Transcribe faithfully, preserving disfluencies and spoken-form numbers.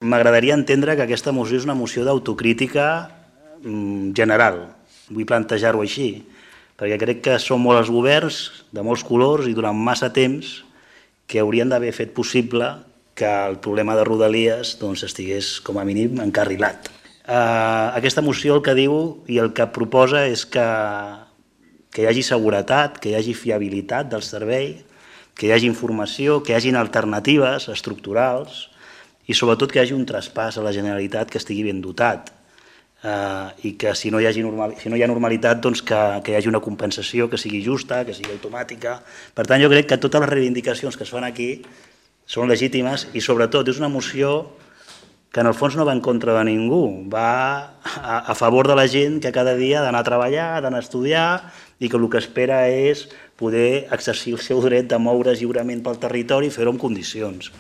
M'agradaria entendre que aquesta moció és una moció d'autocrítica general. Vull plantejar-ho així, perquè crec que són molts els governs de molts colors i durant massa temps que haurien d'haver fet possible que el problema de Rodalies estigués, com a mínim, encarrilat. Aquesta moció el que diu i el que proposa és que hi hagi seguretat, que hi hagi fiabilitat del servei, que hi hagi informació, que hi hagin alternatives estructurals i sobretot que hi hagi un traspàs a la Generalitat que estigui ben dotat i que si no hi ha normalitat que hi hagi una compensació que sigui justa, que sigui automàtica. Per tant, jo crec que totes les reivindicacions que es fan aquí són legítimes i sobretot és una moció que en el fons no va en contra de ningú, va a favor de la gent que cada dia ha d'anar a treballar, ha d'anar a estudiar i que el que espera és poder exercir el seu dret de moure's lliurement pel territori i fer-ho en condicions.